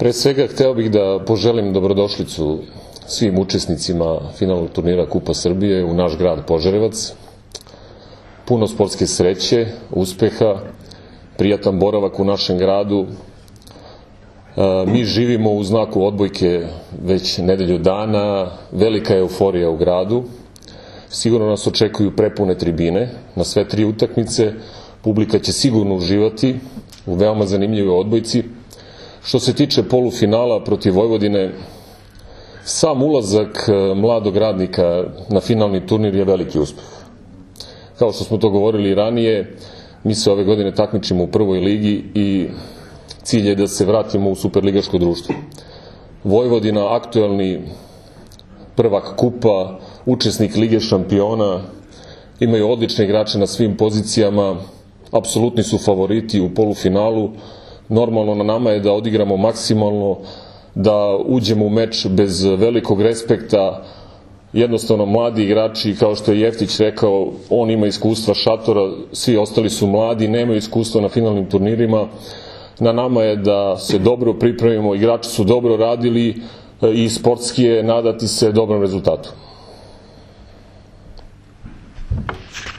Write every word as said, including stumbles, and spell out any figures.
Pre svega, hteo bih da poželim dobrodošlicu svim učesnicima finalnog turnira Kupa Srbije u naš grad Požarevac. Puno sportske sreće, uspeha, prijatan boravak u našem gradu. Mi živimo u znaku odbojke već nedelju dana, velika je euforija u gradu. Sigurno nas očekuju prepune tribine na sve tri utakmice. Publika će sigurno uživati u veoma zanimljivoj odbojci. Što se tiče polufinala protiv Vojvodine, sam ulazak mladog radnika na finalni turnir je veliki uspeh. Kao što smo to govorili ranije, mi se ove godine takmičimo u prvoj ligi i cilj je da se vratimo u superligaško društvo. Vojvodina, aktuelni prvak kupa, učesnik Lige šampiona, imaju odlične igrače na svim pozicijama, apsolutni su favoriti u polufinalu. Normalno na nama je da odigramo maksimalno, da uđemo u meč bez velikog respekta. Jednostavno, mladi igrači, kao što je Jeftić rekao, on ima iskustva šatora, svi ostali su mladi, nemaju iskustva na finalnim turnirima. Na nama je da se dobro pripremimo, igrači su dobro radili i sportski je nadati se dobrom rezultatu.